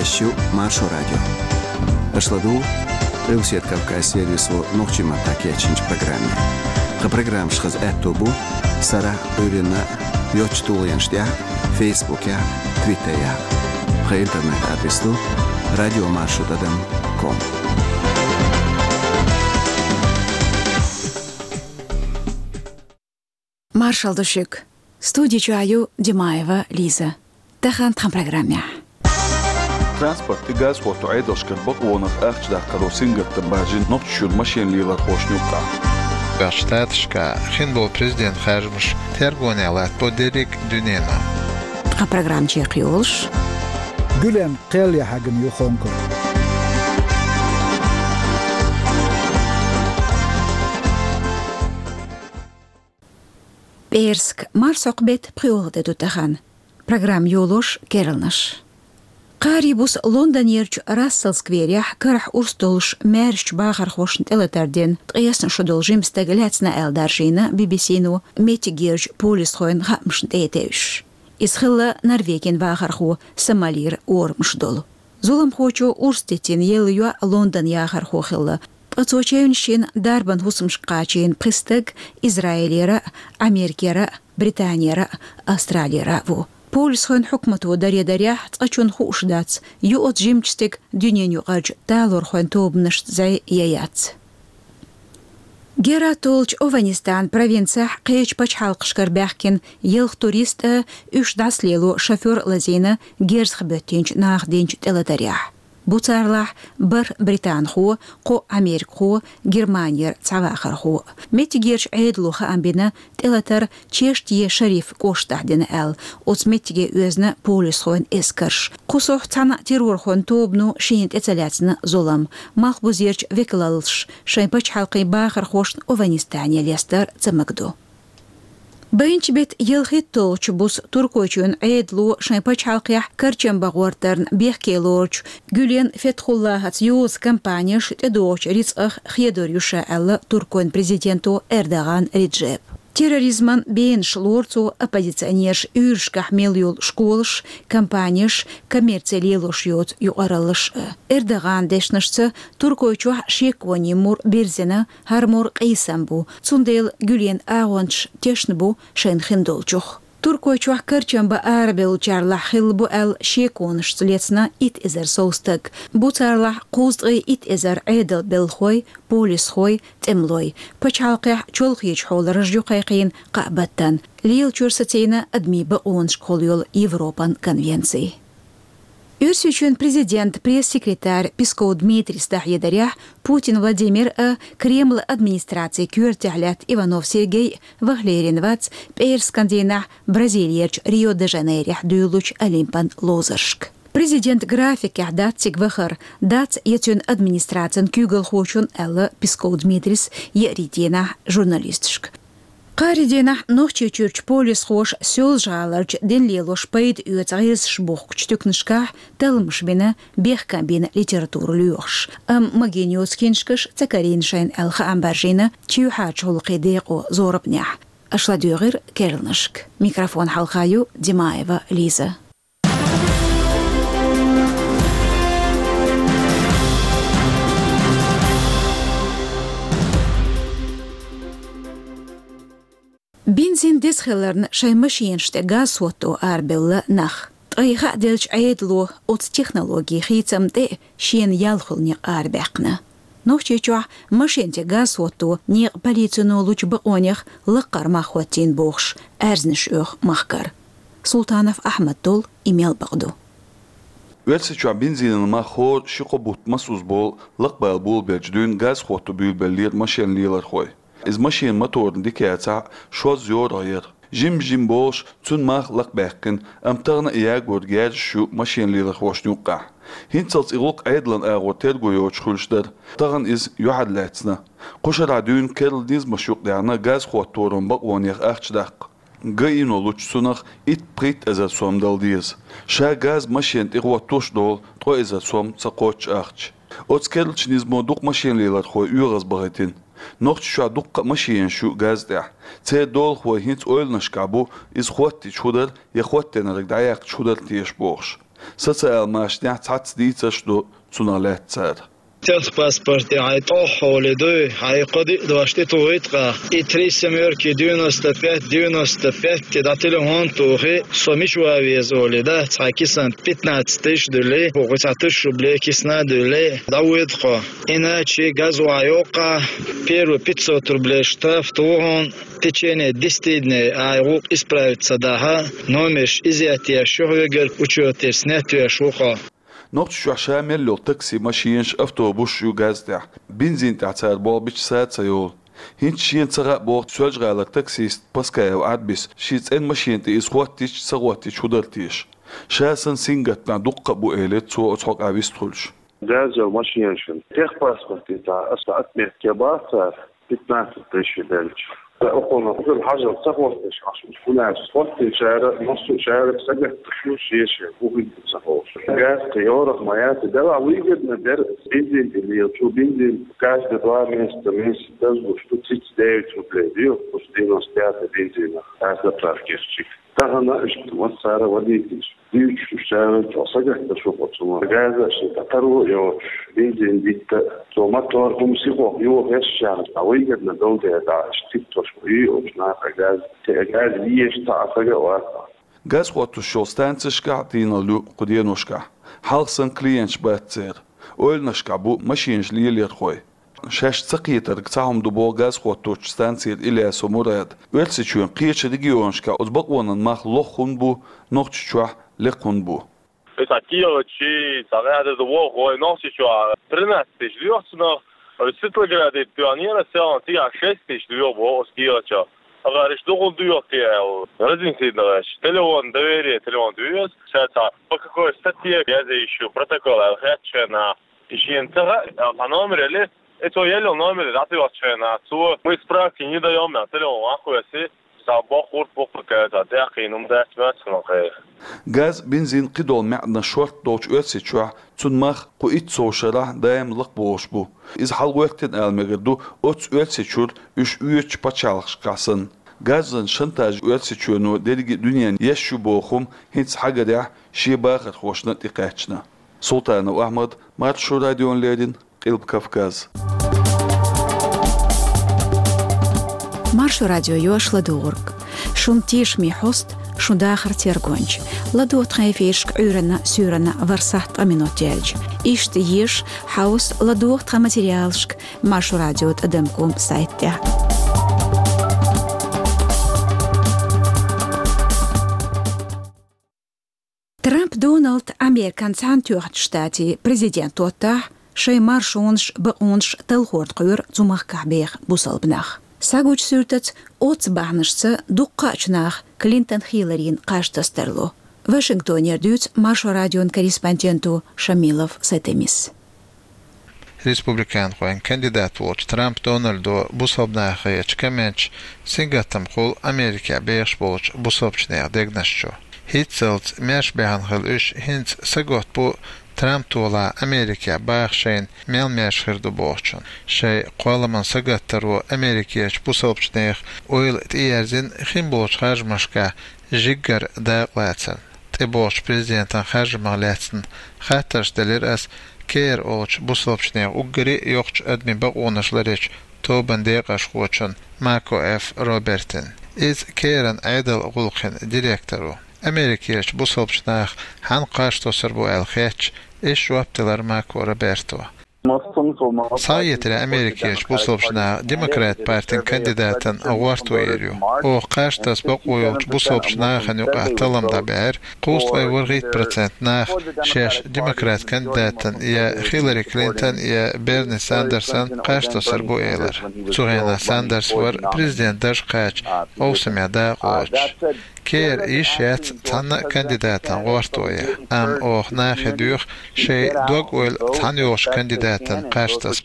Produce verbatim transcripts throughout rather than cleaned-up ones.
Шу Маршо радио. Аша ладугӀу Къилбаседа Кавказ сервисо нохчийн маттахь кечйинчу программе. Тхан программаш хаза аьтто бу сарахь а, Ӏуьйранна а йоцчу тулгӀенаш тӀехь, Фейсбукехь, Твиттерехь. Тхан интернет-адрес ду радио маршо тӀадам ком. Маршалла ду шуьга. Студи чохь ю Димаева Лиза. Тахана тхан программехь. Транспорт и газа хӀотто Ӏедалшкара бакъонах ахча даккхаро сингаттам баржийна Нохчийчуьра машен лелорхошна юккъехь. Ткъа Штаташкахь хин долу президент харжамаш тергонехь латтабо дерриг а дуьнено. Тхан программа чекхйолуш. Гуьлен кхел яхьагана ю хонкур. ПӀераска, марсхьокху беттан пхоьалгӀа де ду тахана. Программа йолош керланаш. Кхаарин буса Лондонерчу Рассел скверехь карахь урс долуш маьршачу бахархошна тӀелатар дина, ткъесна шо долу жима стаг лаьцна аьлла даржийна Би-Би-Си-но меттигерчу полисхойн хаамашна тӀе а тевжаш. Иза хилла Норвегин вахархо Сомалира орамаш долу. Зуламхочо урс дитина елла йоӀ Лондон яхархо хилла, ткъа цо чевнаш йина дарбан хӀусамашка кхачийна пхи стаг Израилера а, Америкера а, Британера а, Австралера а ву. Полисхойн хьукмато даре дарехь, цкъачунна хууш дац, ю оцу жимачу стеган дуьненаюкъарчу талорхойн тобанашца зӀе я яц. Герат олучу Ованистан провинцехь кхечу пачхьалкхашкара баьхкина ялх турист а, уьш дӀасалело шофер а лазийна герзах боьттинчу наха динчу тӀелатарехь. Бу царлахь бархӀ британхо, кхо америкахо, Германера цхьа вахархо. Меттигерчу Ӏедало хаам бина, тӀелатар Чеште-Шариф кӀоштахь дина аьлла, оцу меттиге оьзна полисхойн эскарш. Кху сохь цхьана а террорхойн тобано шена тӀе ца лаьцна зулам. Малхбузерчу векалаллаш шайн пачхьалкхийн бахархошна Ованистане лестар ца магадо. Баханчу беттан ялхитталгӀачу буса Туркойчоьнан Ӏедало шайн пачхьалкхехь карчам бан гӀортарна бехке лоручу Гюлен Фетхуллахьаца йоза компанеш тӀедогӀучу рицкъах хедор ю ша аьлла Туркойн президенто Эрдоган Реджепа. Терроризман бенаш лору цо оппозиционераш уьйрашкахь мел йолу школаш, компанеш, коммерци лелош йоцу юкъараллаш а. Эрдоган дешнашца, Туркойчохь шеконийн мур бирзина, хӀара мур къийсам бу, цундела Гюлен агӀончаш тешна бу шайна хин долчух. Туркойчохь карчам бан арабевллачарлахь хилла бу аьлла шеконашца лецна итт эзар сов стаг. Бу царлахь кхузткъе итт эзар Ӏедалан белхахой, полисхой, тӀемалой. Пачхьалкхехь чолхечу хьолан раж ю кхайкхийна кхаа баттана. Лелачуьра сацийна адамийн бакъонашкахула йолу Европан конвенци. Оьрсийчоьнан президентан пресс-секретарь Песков Дмитрийс дӀахьедарехь, Путин Владимир а, Кремлан администрацин коьртехь лаьтта Иванов Сергей а ваха лерина вац пӀераскан дийнахь Бразилерчу Рио-де-Жанейрехь дуьйлучу Олимпан ловзаршка. Президентан графикехь дац цига вахар, дац я цуьнан администрацин куьйгалхочун, аьлла Песков Дмитрийс еарин дийнахь журналисташка. Кхаарин дийнахь Нохчийчуьрчу полисхоша Соьлжа-ГӀаларчу дин лелош пайда оьцу гӀирсаш бухкучу туькнашкахь талламаш бина, бехкам бина литература лоьхуш. Амма магийна йоцу киншкаш ца карийна шайна аьлла хаам баржийна чоьхьарчу гӀуллакхийн декъо зорбанехь. Аша ладуьйгӀира керланашка. Микрофон хьалха ю Димаева Лиза. Бензин деза хиларна шайн машенаш тӀе газ хӀотто арабевлла нах. Ткъа и хааделлачу Ӏедало оцу технологин хийцам тӀе а шена ял хуьлу некъ арабаьккхина. Нохчийчохь машен тӀе газ хӀотто некъан полицино лучу бакъонех лаккхара мах хӀоттийна бохуш, аьрзнаш оьху махкара. Султанов Ахьмад долу и мел бакъ ду. Оьрсийчохь бензинан мах хӀора ши-кхо бутт масузза болу лакхабала болабеллачу дуьйна газ хӀотто буьйлабеллера машен лелорхой. Иза машенан моторна дика яцахь а, шозза йорах яра. Жим-жим болуш цуьнан мах лакхабаьккхина, амма тахана а ягор герзаш ю машен лелорхошна юккъехь. ХӀинццалц и гӀуллакх Ӏедалан агӀор терго йоцуш хуьлуш дара. Тахана иза юьхьарлаьцна. Кху шарахь дуьйна керла низамаш юкъадаьхна газ хӀотторан бакъонех ахча даккха. ГАИ-но лучу цунах итт-пхийтта эзар сом дала деза. Ша газ машен тӀе хӀоттош а долу ткъо эзар сом ца кхоччу ахча. Оцу керлачу низамо дукха машен лелорхой оьгӀазбахийтина. Нохчийчохь дуккха а машенаш ю газ тӀехь. Церан долахой хӀинца ойланашкахь бу, иза хӀоттийча хӀун дара я хӀоттийнарг дӀаяккхича хӀун дара теша бохуш. Социал машанехь цхьацца дийцарш ду цунах лаьцна цара. Техпаспорте хьайн тӀох хьоле дуй, хьайн кхо-диъ дош тӀе тухуьйту-кх, и три семёрки, девяносто пять, девяносто пять дӀа телефон тухий, со мича ван веза олий, да, цхьа кисана пятнадцать тысяч дуьллий, кху цхьа тысяча рублей кисана дуьллий, дӀавоьду-кх. Иначе газа охьайоккху-кх, первые пятьсот рублей штраф туху хьуна, в течение десяти дней хьайн гӀуллакх исправить ца дахь, номерш изъять еш ю хьоьгара, учётера снять веш ву-кх. Нохчийчохь ша мел йолу такси машенаш, автобусаш ю газ тӀехь. Бензин тӀехь цара болх бича сада ца йолу. ХӀинца шена ца хаьа боху Соьлжа-ГӀалара таксист Паскаев Ӏарбис. Шен цӀена машена тӀе иза хӀоттийча, ца хӀоттийча хӀун дара теша? Ша санна сингаттамехь дуккха а бу, элира цо оцу хьокъехь вистхуьлуш. Газа йолу машенашна техпаспорте цхьа аса отметка бац цара. Пятнадцать тысяч белча. Ткъа окхунах хӀуьлла хьажал ца хӀоттош Ӏаш, хӀунда аьлча хӀоттийначара массо а шарах сагатдеш ю шен-шен, хӀун хир ду ца хууш. Газ кхин йорах ма яц, делахь выгодно дара бензин тӀе лелачо, бензин каждые два месяца, месяц дазлуш ду, цица девять рублей ду, кхуза девяносто пять бензинах, аз заправкешчик. Тахана иштта массара а водителаш дуьйцуш, уьш цара чӀогӀа сагатдеш бу оцу мотор. Газа шен тӀе таро а йоцуш, бензин дитта, цо мотор хӀума сихо йохош яхаш, цхьа выгодно долу дела, иштта титтош ма ю оцу наха газ. Те газ езаш цхьа а сага а вац. Газ хӀоттош йолу станцешкахь а тийналла ю кху деношкахь. Хьалха санна клиенташ бац церан. Ойланашкахь бу машенаш лелорхой. Шаьш ца кхетарг цхьа хӀума ду боху газ хӀотточу станцера Ильясов Мурада. Оьрсийчоьнан кхечу регионашкахь оцу бакъонан мах лоха хӀунда бу, Нохчийчохь лекха хӀунда бу? Иза килочий, цхьа гӀаьда ду боху вай Нохчийчохь тринадцать тысяч лоьху цунах, а Светлограде тоьхнера селхан, цигахь шесть тысяч лоьху боху оцу килочо. Ахара иштта ду хӀунда доьху те аьлла, разница дан гӀерташ. Телефон, доверие, телефон доьху, ша цхьа по какой статье язъеш ю протокол аьлла хаьттича хенахь, и шена ца хаьа, аьлла, цхьа номер елли, и цо елла номер дӀатоьхча хенахь, цо: «Мы справки не даём», аьлла, телефон ван кхоьссий, цхьа боккха гӀурт бу-кх, цхьа тӀаьхьа кхин хӀума дац моьтту хьуна кхайра. Газ, бензин, кхидолу маьӀданаш шортта долчу Оьрсийчохь цунна мах кху итт сов шарахь даим лакхабогӀуш бу. Иза хьалагӀоьттина ала мегар ду оццу Оьрсийчуьра уьш оьцучу пачхьалкхашкахь санна. Газан шантаж Оьрсийчоьно дерриге а дуьненна еш ю боху хӀума хӀинца хьагарехь шен бахархошна тӀекхаьчна. Султанов Ахьмад, Маршо радиона леррина, Къилба Кавказ. Маршо радио йош ладугӀург. Шун тешаме хьоста, шун дахар тергонча. ЛадогӀа тхан эфирашка Ӏуьйранна, суьйранна ворхӀ сахьт ткъа минот яьлча. Иштта еза, хьовса, ладогӀа тхан материалашка Маршо радио тӀадам ком сайта тӀехь. Трамп Доналд Американ Цхьаьнатоьхначу Штатийн президент доттахь, шайн маршонаш, бакъонаш талхор даккхар цу махкахь беха бусалба нах. Схьагучу суьртаца, оццу бахьанашца дуккха а чу наха Клинтон Хилларина къаштас тарло. Вашингтонера дуьйцу Маршо радион корреспонденто Шамилов Сатемис. Республиканхойн кандидат волчу Трамп Дональдо бусалба нахехь ечу комменташа сингаттам хуьлу Америкехь бехаш болчу бусалбачу нехан дегнаш чу. ХӀинццалц маьрша баьхна хила уьш хӀинца сагатта бу Трамп толахь Америкехь баха шайна мел маьрша хир ду бохучун. Шайн кхолламан сагаттаро Америкерчу бусалбачу нехан ойла тӀеерзина хин болчу харжамашкахь жиггара дакъалацарна. ТӀебогӀучу президентан харжамах лаьцна хаттарш делира ас Кер олучу бусалбачу нехан уггаре а йоккхачу адамийн бакъонаш ларъечу тобанан декъашхочун Мако Ф. Робертина. Иза Керан Ӏедалан гӀуллакхийн директор ву. Америкерчу бусалбачу наха хьанна кхаж тосур бу аьлла хетча, иза жоп делира Мако Роберто. Схьаэцарехь Америкерчу бусалбачу наха Демократ партин кандидатан гӀортор ю. Оха кхаж таса бакъо йолчу бусалбачу нахана юкъахь таллам дӀабаьхьира, кхузткъе ворхӀийтта процент наха шаьш Демократ кандидатан, я Хиллари Клинтон, я Берни Сандерсан кхаж тасар бу элира. Цу хенахь Сандерс вара президентан дарж кхача, къовсамехь дакъалоцуш. Кера йиш яц цхьанна а кандидатан гӀортор ян, амма оха нахе доьху шайн дог-ойла цхьаьна йолчу кандидатан кхаж таса.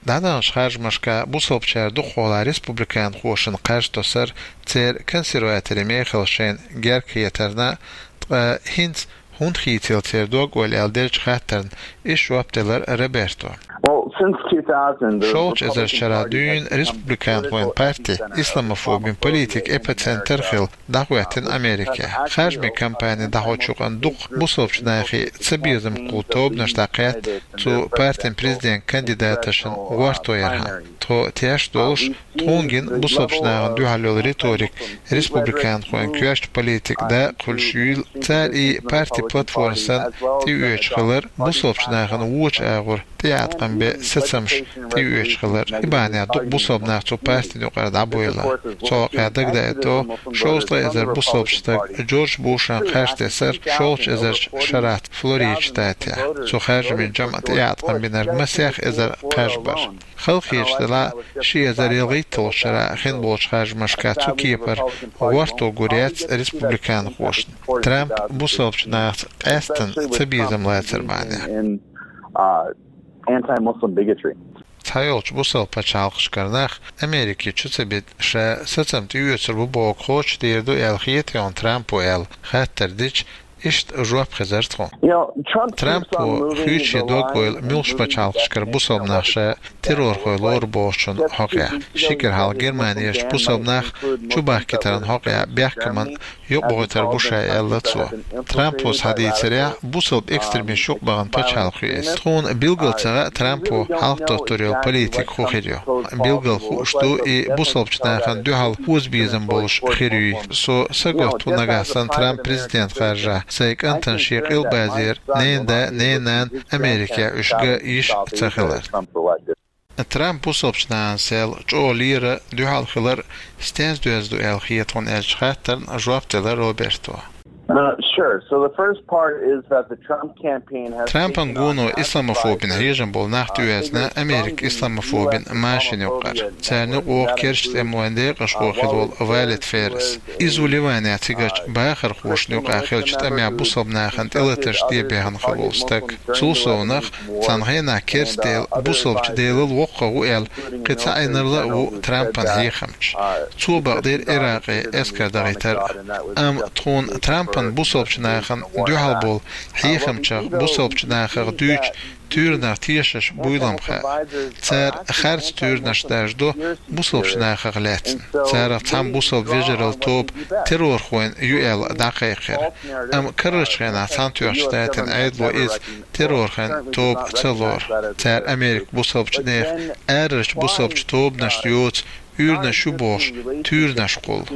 ДӀадаханчу харжамашкахь бусалбачара дукхахволахь республиканхошна кхаж тосар церан консерваторийн мехалла шайна герга хетарна, ткъа хӀинца ХӀунда хийцаелла церан дог, ойла аьлла, делча хаттарна иш жоп делар Роберто. Well, since two thousand, the Шовзткъа эзар шера дуьйна республиканхойн парти исламофобин политикан эпицентр хилла дӀахӀоьттина Америке. Харжамийн кампани дӀахьочу юкъанна дукха бусалба нахи цабезам кхулла тобанаш дӀакхаьчна цу партин президент кандидаташна гӀортор яхаш. Тхо теш долуш, тхуна гина бусалба нахана дуьхьал йолу риторика республиканхойн коьртачу политикан дакъа хуьлуш юйла, цара и партин платформа санна тӀеоьцуш хилар, бусалба нахана вочу агӀор тӀеӀаткъам бен сацамаш тӀеоьцуш хилар. И бахьанехь дукха бусалба нах цу партина юкъара дӀабевлла. Цу хьокъехь дагадаийта деза, шовзткъа эзар бусалба стаг Джордж Бушна кхаж тесира шовзткъа эзарчу шарахь Флорида штатехь. Цу харжамийн жамӀа тӀеӀаткъам бинарг масех эзар кхаж бара. Халахеташ делахь, ши эзар ялхитталгӀачу шарахь хин болчу харжамашкахь цу кепара гӀортор гур яц республиканхошна, Трамп бусалба нахаца къаьсттина цабезам лацар бахьанехь. In, uh, anti-Muslim bigotry. Цхьайолчу бусалба пачхьалкхашкара нах Америке чу ца бита, ша сацам тӀеоьцур бу бохург кхочушдийр ду аьлла хета хьуна Трампо аьлла хаттар дича, иштта жоп хезара тхуна. You know, Trump keeps on Трампо moving хуьйцу the шен дог, line ойла, of муьлххачу пачхьалкхашкара бусалба нах ша террорхой лору бохучун хьокъехь. Ши кӀира хьалха Германерчу бусалба нах чубахкийтаран хьокъехь бехкаман юкъабахийтар бу ша, аьлла цо. Трампо схьадийцарехь, бусалба экстремисташ юкъабахана пачхьалкх ю иза. Тхуна билггал ца хаьа Трампо хьалхадоттур йолу политика хӀун хир ю. Билггал хууш ду и бусалба нахана дуьхьал озабезам болуш хир юй. Со саготта ву, нагахь санна Трамп президент харжахь, сайн кӀантана шен къилбазера ненан да, ненан нана Америке уьш ган йиш ца хиларна. Трамп бусалба нахана сел чӀогӀа лерина дуьхьал хилар стенца доьзна ду аьлла хета хьуна аьллачу хаттарна жоп делара Роберто. Uh, sure. So the first part is that the Trump campaign has Трампан гуно исламофобин хьежам болу нах тӀеоьзна Америкин исламофобин машина юкъара. Царна юкъа вогӀу керста тӀемалойн декъашхо хилла волу Валид Феррес. Иза ву Ливанехь цигарчу бахархошна юкъахь хиллачу тӀамехь бусалба нахана тӀелатарш де бехна хилла волу стаг. Цул совнаха, цхьана хенахь керста дела бусалбачу делал воккхагӀа ву аьлла, кхин цхьа Ӏинарла а ву Трампан хьехамча. Цо бакъдира Иракъе эскар дахийтар а. Амма тхуна Трампан бусалбачу нахана дуьхьал болу хьехамчех бусалбачу нахах дуьйцу туьйранах тешаш буйла-м хаьа. Цара харц туьйранаш даржадо бусалбачу нахах лаьцна. Царах цхьана бусалба вежаралла тоба террорхойн ю аьлла дӀакхайкхира. Амма карарчу хенахь Цхьаьнатоьхначу Штатийн Ӏедало иза террорхойн тоба ца лору. Цара Америкин бусалбачу нехан арарчу бусалбачу тобанашна йоцу уьйранаш ю бохуш туьйранаш кхуллу.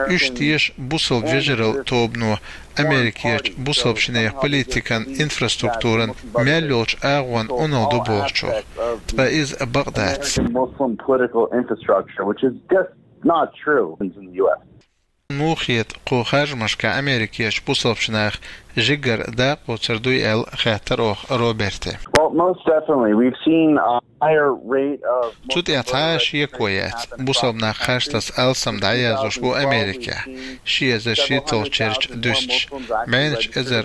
Уьш теша бусалба вежаралла тобано Америкерчу бусалбачу нехан политикан инфраструктуран мел йолчу агӀонна Ӏуналла ду бохучух. Ткъа иза бакъ дац. American Muslim political infrastructure, which is just not true in the U S. Муха хета, кху харжамашкахь Америкерчу бусалбачу наха жигара дакъа лоцур дуй аьлла хаьттира оха Роберте. Well, most definitely. We've seen a higher rate of Цу тӀехь цхьа а шеко яц. Бусалба нах харцдерг алсам дӀаяздеш бу Америкехь, ши эзар шийтталгӀачу шарахь дуьстича. БӀеннаш эзар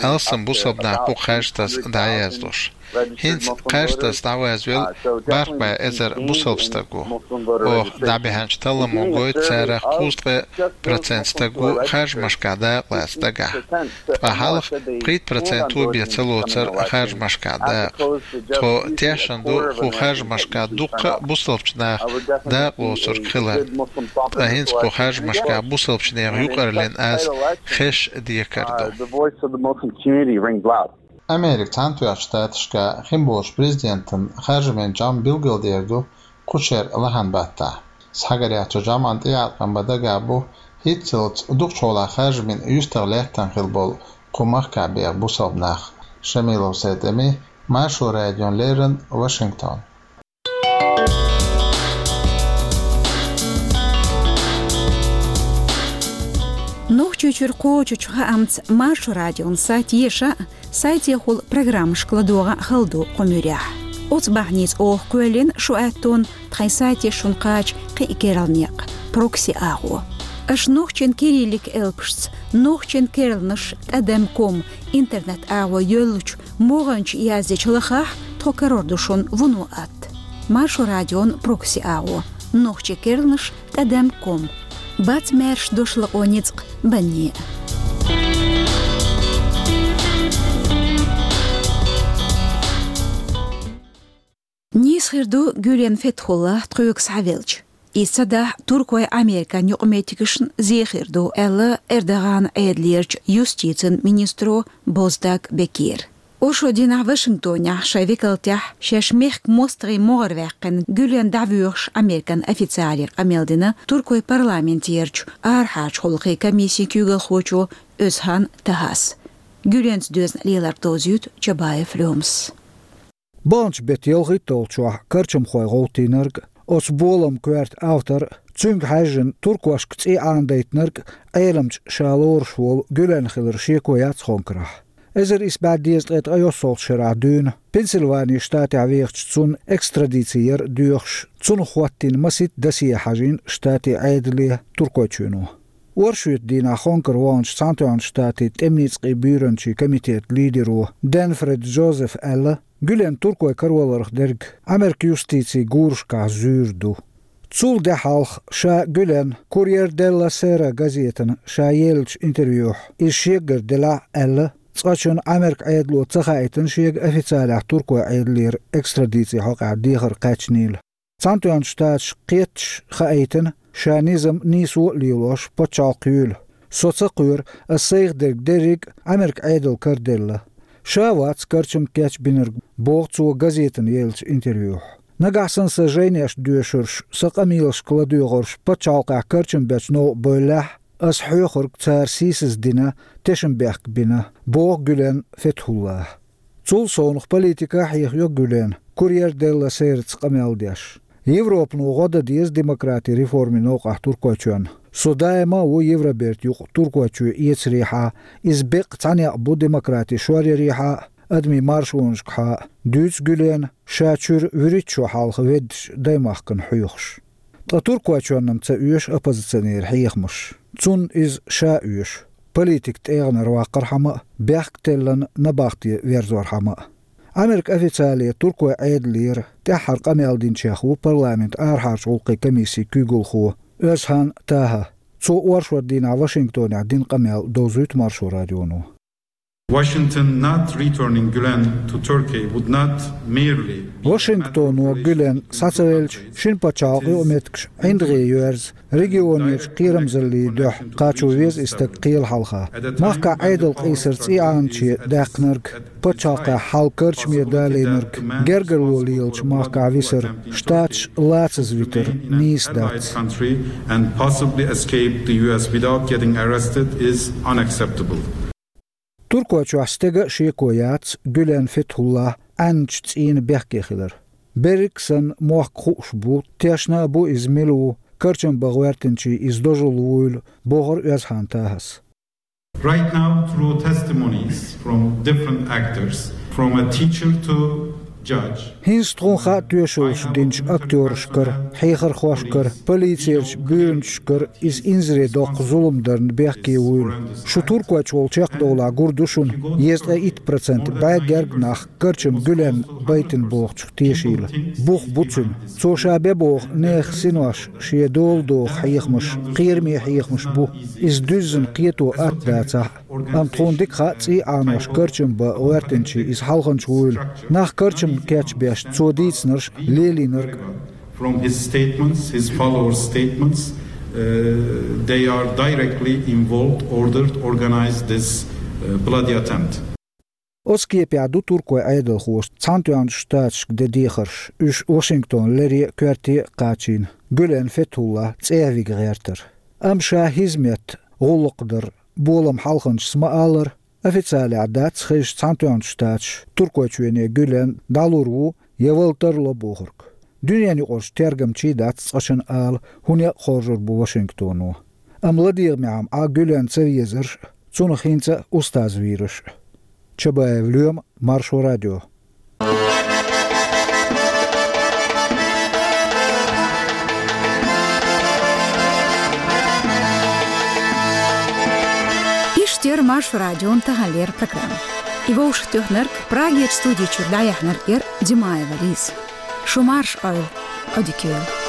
алсам бусалба нах бу харцдерг дӀаяздеш. ХӀинца харцдерг дӀаязвелла бархӀ бӀе эзар бусалба стаг ву. Оха дӀабаьхьначу талламо гойту, царах кхузткъа процент стаг ву харжамашкахь дакъа лаца дагахь. Ткъа хьалха пхийтта процент ву бен ца лоцура харжамашкахь дакъа. Тхо тешна ду кху харжамашкахь дуккха а бусалбачу наха дакъа лоцург хилар. Ткъа хӀинца кху харжамашкахь бусалбачу нехан юкъарлин аз хезаш декар ду. The voice of the Muslim community rings loud. Америкин Цхьаьнатоьхначу Штаташкахь хин болчу президентан харжамийн жамӀ билгалдер ду кхучеран лахьан баттахь. Схьагарехь, цу жамӀан тӀеӀаткъам бан дагахь бу хӀинццалц дукхачу хьолахь харжамийн юьстах лаьттина хилла болу кху махкахь беха бусалба нах. Шамилов Сайд-Эми, Маршо радиона леррина, Вашингтон. Нохчийчуьра кхочучу хаамца Маршо радион сайт еша а, сайтехула программашка ладогӀа а хала ду кху муьрехь. Оцу бахьаница оха кхоьллина шу аьттонна тхайн сайте шуна кхача кхин а керла некъ, прокси агӀо. Аша нохчийн кириллик элпашца, нохчийн керланаш тӀадам ком интернет агӀо йоьллучу могӀанчу яздечу лахахь, тхо карор ду шуна вуно атта. Маршо радион прокси агӀо, нохчийн керланаш тӀадам ком. Бац маьрша дош лакъо ницкъ банне. Хир ду Гюлен Фетхулла тхоьга схьавелча. Иза ца дахь, Туркойн Американ юкъаметтигашна зе хир ду, аьлла Эрдоган Ӏедалерчу юстицин министро Боздаг Бекира. Оршот дийнахь Вашингтонехь шайн векалтехь шаьш мехкан мостагӀийн могӀара ваьккхина Гюлен дӀавоьхуш Американ официале къамел дина Туркойн парламентерчу арахьарчу гӀуллакхийн комиссин куьйгалхочо Оьзхан Тахас. Гюленца доьзна леларг довзуьйту Чабаев Лёмас. Баханчу беттан ялхитталгӀачохь карчамхой гӀовттийнарг, оцу боламан коьрта автор, цуьнга хьаьжжина туркошка цӀий Ӏанадайтинарг Ӏеламчу ша лоруш волу Гюлен хилар шеко яц хонкарахь. Эзар исс бӀе дезткъе ткъайоьссалгӀачу шарахь дуьйна Пенсильвани штатехь вехачу цунна экстрадици яр доьхуш, цунах хӀоттийна масийтта досье хьажийна штатийн Ӏедале Туркойчоьно. Оршотан дийнахь хонкара ваханчу Цхьаьнатоьхначу Штатийн тӀеман ницкъийн буьйранчин комитетан лидеро Денфред Джозефа аьлла, Гюлен Туркойн караваларх дерг Америкин юстицин гурашкахь зуьйр ду. Цул де хьалха ша Гюлен Курьер делла Сера газетана ша еллачу интервьюхь, иза шегара делахь а аьлла, цкъачунна Америкин Ӏедало ца хаийтина шега официалехь Туркойн Ӏедалера экстрадицин хьокъехь дехар кхаьчнийла. Цхьаьнатоьхначу Штаташка кхетташ хаийтина, ша низам нийсо а лелош, пачхьалкх юйла. Со ца кхоьру, ас сайх дерг дерриг а Америкин Ӏедална караделла. Ша вац карчам кечбинарг, боху цо газетана еллачу интервьюхь. Нагахь санна сан жайнеш доьшурш, сан къамелашка ладоьгӀурш пачхьалкхехь карчам бечу новкъа бевллехь, ас хьоьхург цара сийсаздина, тешнабехк бина, боху Гюлен Фетхуллас. Цул совнаха политика а хьехайо Гюлена, Курьер делла Сераца къамел деш. Европано гӀо дан деза демократин реформийн новкъахь Туркойчоьнна. Со даима а ву Евробертан юкъа Туркойчоь эцарехьа, иза беккъа цхьа некъ бу демократин шоръярехьа а, адамийн маршонашкахьа а, дуьйцу Гюлена, ша чуьра вуьрхӀитта шо хьалха веддачу даймахкана хьоьхуш. Ткъа Туркойчоьнна-м ца оьшу оппозиционерийн хьехамаш. Цунна иза ша оьшу. Политикан тӀегӀанара ваккхархьама а, бехк теллина набахте верзорхьама а. Америкин официале Туркойн Ӏедалера тӀаьххьара къамел динчех ву парламентан арахьарчу гӀуллакхийн комиссин куьйгалхо Оьзхан Таха. Цо оршотан дийнахь Вашингтонехь дина къамел довзуьйту Маршо радионо. Washington not returning Gulen to Turkey would not merely be a matter of Вашингтоно Гюлен схьа ца велча, шина пачхьалкхан юкъаметтигаш ӀиндагӀе йоьрзу, регионерчу кхерамзаллин дуьхьа кхачо веза и стаг кхелан хьалха. Махкахь Ӏедал къийсар цӀий Ӏанче даьккхинарг, пачхьалкхехь хьал карчаме далийнарг, гергарло лелачу махкахь висар, Штаташ лацаза витар нийса дац. Country and possibly escape the U S without getting arrested is unacceptable. Туркойчохь стеган а шеко яц Гюлен Фетхуллас Ӏаьнначу цӀийнан бехке хилар. Берриг а санна, мохк хууш бу, тешна а бу иза мила ву, карчам бан гӀоьртинчийн иза дожалла вуйла, бохура Оьзхан Тахас. Right now, through testimonies from different actors, from a teacher to judge. ХӀинца тхуна хаа тоьшаллаш динчу актёрашкара, хьехархошкара, полицерчу буьйранчашкара иза инзаре доккха зулам дарна бехке вуйла. Шу Туркойчу волу чекхдовлахь гур ду шуна, дезткъе итт процент бӀе герга нах карчам Гюлен байтина бохучух тешийла. Бух бу цуьнан. Цо ша бен боху нехан синош шен дола доху хьехамаш, кхераме хьехамаш бу. Иза дуьззина кхето атта дацахь а. Амма тхуна дика хаьа цӀий Ӏанош карчам бан гӀоьртинчийн иза хьалханча вуйла. Нах карчамна кечбеш цо дийцинарш а, лелийнарг а. From his statements, his followers' statements, uh, they are directly involved, ordered, organized this, uh, bloody attempt. Оцу кепехь ду туркойн Ӏедалхоша Цхьаьнатоьхначу Штаташка ден дехарш, уьш Вашингтон лере а, коьрте а кхачийна, Гюлен Фетхуллас цӀехьа вига гӀертар. Амма ша хӀизмет, гӀуллакх дар болам хьалханчас ма-аллара, официалехь дац хезаш Цхьаьнатоьхначу Штаташа Туркойчоьне Гюлен дӀалур ву я вала тарло бохург. Дуьненаюкъарчу тергамчийн дац цкъачунна ала, хӀун некъ хоржур бу Вашингтоно. Амма ладегӀамехь-м Ӏа Гюлен ца везарш а, цунах хӀинца а устаз вийраш а. Чабаев Лоьма, Маршо радио. Иштта яра Маршо радион таханлера программа. И вовшахтоьхнарг, Прагерчу студи чуьра дӀаяьхьнарг яра Димаева Лиза. Шу марша Ӏойла, Ӏодика йойла.